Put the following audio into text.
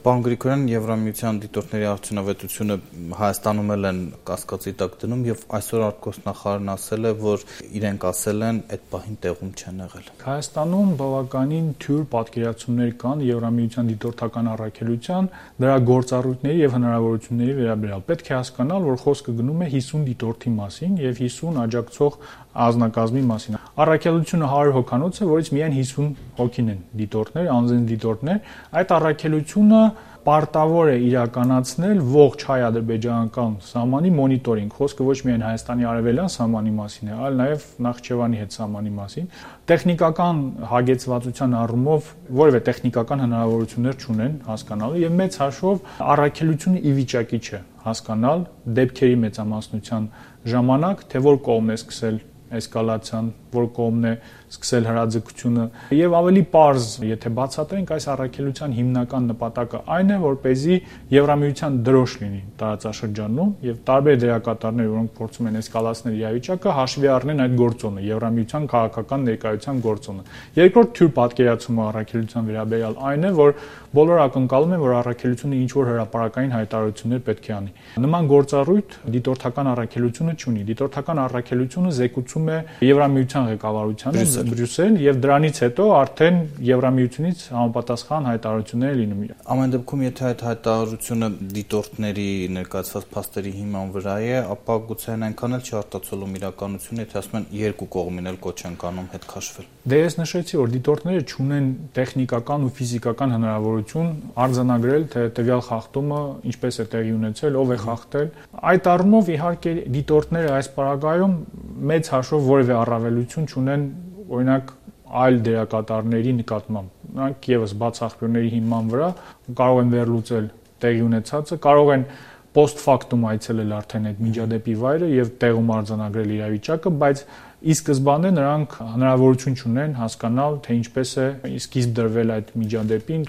Պարոն Գրիգորյան, Եվրամիության դիտորդների արդյունավետությունը Հայաստանում են կասկածի տակ դնում եւ այսօր արտգործնախարարն ասել է, որ իրենք ասել են այդ պահին տեղում չեն եղել։ Հայաստանում բավականին թյուր պատկերացումներ կան Եվրամիության դիտորդական առաքելության, դրա գործառույթների եւ հնարավորությունների վերաբերյալ։ Պետք է հասկանալ, որ խոսքը գնում է 50 դիտորդի մասին եւ 50 աջակցող ազնագազմի մասին։ Առաքելությունը 100 հոգանոց է, որից միայն 50 հոգին են դիտորդներ, անձին դիտորդներ։ Այդ առաքելությունը պարտավոր է իրականացնել ողջ հայ-ադրբեջանական սահմանի մոնիտորինգ։ Խոսքը ոչ միայն Հայաստանի արևելյան սահմանի մասին է, այլ նաև Նախիջևանի հետ սահմանի մասին։ Տեխնիկական հագեցվածության առումով որևէ տեխնիկական հնարավորություններ չունեն հասկանալու եւ մեծ հաշվով առաքելությունը ի վիճակի չէ հասկանալ դեպքերի մեծամասնության ժամանակ, թե որ կողմն է սկսել էսկալացիան, որ կողմն է սկսել հրաձգությունը եւ ավելի պարզ, եթե բացատրենք այս առաքելության հիմնական նպատակը այն է, որպեսզի Եվրամիության դրոշ լինի տարածաշրջանում եւ տարբեր դերակատարներ, որոնք փորձում են էսկալացնել իրավիճակը, հաշվի առնեն այդ գործոնը, Եվրամիության քաղաքական ներկայության գործոնը։ Երկրորդ թյուր պատկերացումը առաքելության վերաբերյալ այն է, որ բոլորը ակնկալում են, որ առաքելությունը ինչ որ հրապարակային հայտարարություններ պետք է անի։ Նման գործառույթ դիտորդական առաքելությունը չունի։ Դիտորդական առաքելությունը զեկուցում է Եվրամիության ղեկավարությանը Բրյուսել եւ դրանից հետո արդեն Եվրամիությունից համապատասխան հայտարարություններ լինում։ Ամեն դեպքում, եթե այդ հայտարարությունը դիտորդների ներկայացված փաստերի հիման վրա է, ապա գուցե այնքան էլ չի արտացոլում իրականությունը, եթե ասում են երկու կողմին էլ կոչ են կանում հետ քաշվել։ Դե ես նշեցի, որ դիտորդները չունեն տեխնիկական ու ֆիզիկական հնարավորություն արձանագրել, թե տվյալ խախտումը ինչպես է տեղի ունեցել, ով է խախտել։ Այդ առումով իհարկե դիտորդները այս պարագայում մեծ հաշվով որևէ առավելություն չունեն, օրինակ այլ դերակատարների նկատմամբ։ Նրանք եւս բաց աղբյուրների հիման վրա կարող են վերլուծել տեղի ունեցածը, կարող են post factum այցելել արդեն այդ միջադեպի վայրը եւ տեղում արձանագրել իրավիճակը, բայց ի սկզբանե նրանք հնարավորություն չունեն հասկանալ, թե ինչպես է սկիզբ դրվել այդ միջադեպին,